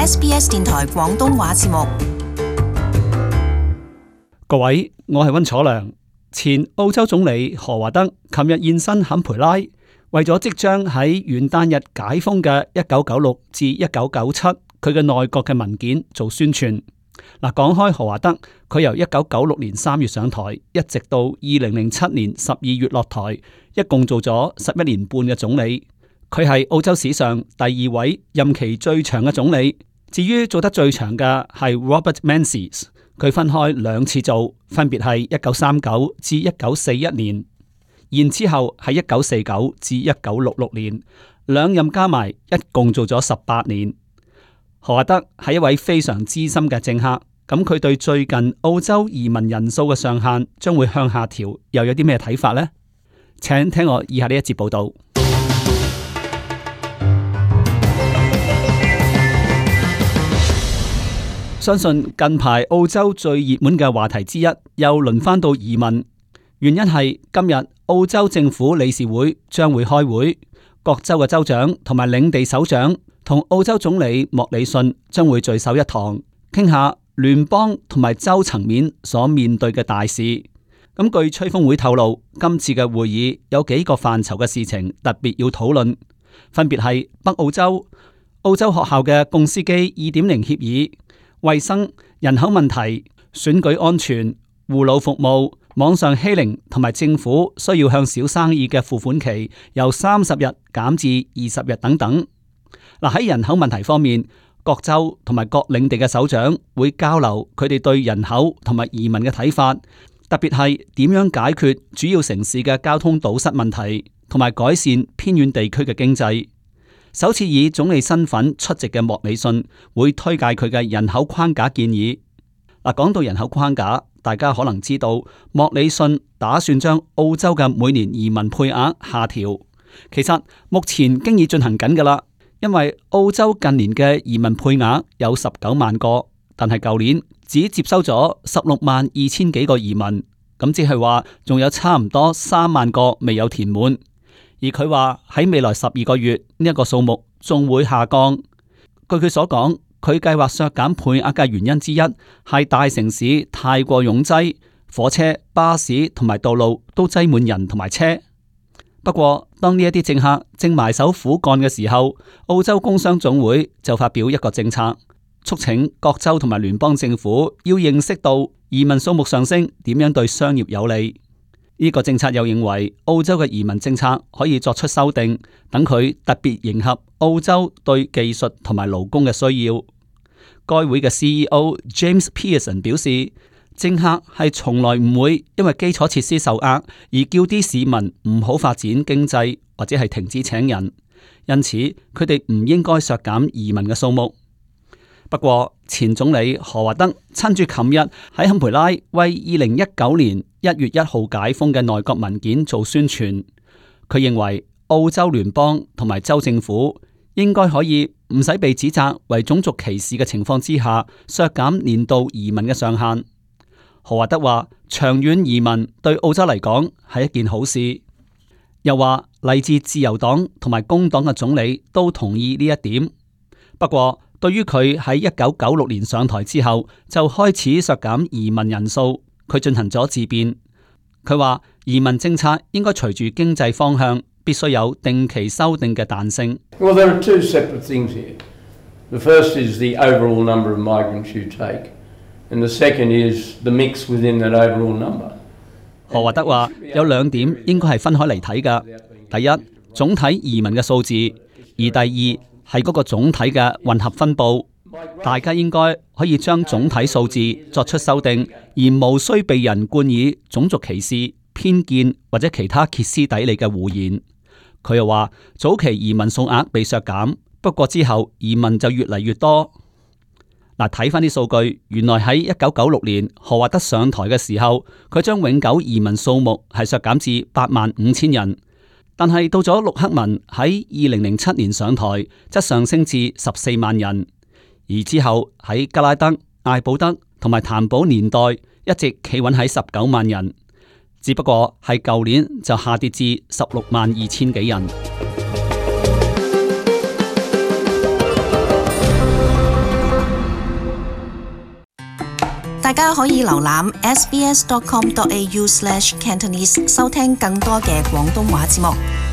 SBS 電台廣東話節目。各位，我係溫楚良。前澳洲總理何華德琴日現身坎培拉，為咗即將喺元旦日解封嘅1996至1997佢嘅內閣嘅文件做宣傳。嗱，講開何華德，佢由1996年3月上台，一直到2007年12月落台，一共做咗11年半嘅總理。佢係澳洲史上第2位任期最長嘅總理。至於做得最長嘅係 Robert Menzies， 佢分開2次做，分別係1939至1941年，然之後係1949至1966年，兩任加埋一共做咗18年。何華德係一位非常資深嘅政客，咁佢對最近澳洲移民人數嘅上限將會向下調，又有啲咩睇法呢？請聽我以下呢一節報道。相信近排澳洲最熱門嘅話題之一，又輪返到移民。原因係今日澳洲政府理事會將會開會，各州嘅州長同埋領地首長同澳洲總理莫里遜將會聚首一堂，傾下聯邦同埋州層面所面對嘅大事。咁據吹風會透露，今次嘅會議有幾個範疇嘅事情特別要討論，分別係北澳洲、澳洲學校嘅共司機2.0協議、衛生、人口問題、選舉安全、護老服務、網上欺凌同埋政府需要向小生意嘅付款期由30日減至20日等等。嗱，喺人口問題方面，各州同埋各領地嘅首長會交流佢哋對人口同埋移民嘅睇法，特別係點樣解決主要城市嘅交通堵塞問題，同埋改善偏遠地區嘅經濟。首次以總理身份出席嘅莫里遜會推介佢嘅人口框架建議。嗱，講到人口框架，大家可能知道莫里遜打算將澳洲嘅每年移民配額下調。其實目前經已進行緊㗎喇，因為澳洲近年嘅移民配額有19萬個，但係舊年只接收咗16萬2千幾個移民，咁即係話仲有差唔多3萬個未有填滿。而佢話喺未來12個月呢一個數目仲會下降。據佢所講，佢計劃削減配額嘅原因之一係大城市太過擁擠，火車、巴士同埋道路都擠滿人同埋車。不過當呢一啲政客正埋首苦幹嘅時候，澳洲工商總會就發表一個政策，促請各州同埋聯邦政府要認識到移民數目上升點樣對商業有利。呢個政策又認為澳洲嘅移民政策可以作出修訂，等佢特別迎合澳洲對技術同埋勞工嘅需要。該會嘅 CEO James Pearson 表示，政客係從來唔會因為基礎設施受壓而叫啲市民唔好發展經濟或者係停止請人，因此佢哋唔應該削減移民嘅數目。不過前總理何華德趁住琴日喺坎培拉為2019年1月1號解封嘅內閣文件做宣傳，佢認為澳洲聯邦同埋州政府應該可以唔使被指責為種族歧視嘅情況之下削減年度移民嘅上限。何華德話長遠移民對澳洲嚟講係一件好事，又話嚟自自由黨同埋工黨嘅總理都同意呢一點。不過對於佢喺1996年上台之後就開始削減移民人數，佢進行咗自辯。佢話移民政策應該隨住經濟方向，必須有定期修訂嘅彈性。Well, there are two separate things here. The first is the overall number of migrants you take, and the second is the mix within that overall number. 何華德話有2點應該係分開嚟睇㗎。第一，總體移民嘅數字；而第二係嗰個總體嘅混合分佈。大家應該可以將總體數字作出修訂，而無需被人冠以種族歧視、偏見或者其他歇斯底里嘅胡言。佢又話早期移民數額被削減，不過之後移民就越嚟越多。嗱，睇翻啲數據，原來喺1996年何華德上台嘅時候，佢將永久移民數目係削減至85000人。但係到咗陸克文喺2007年上台，則上升至14萬人。而之後喺加拉德、艾保德同埋譚寶年代一直企穩喺19萬人，只不過係舊年就下跌至16萬2千幾人。大家可以瀏覽 sbs.com.au/cantonese 收聽更多嘅廣東話節目。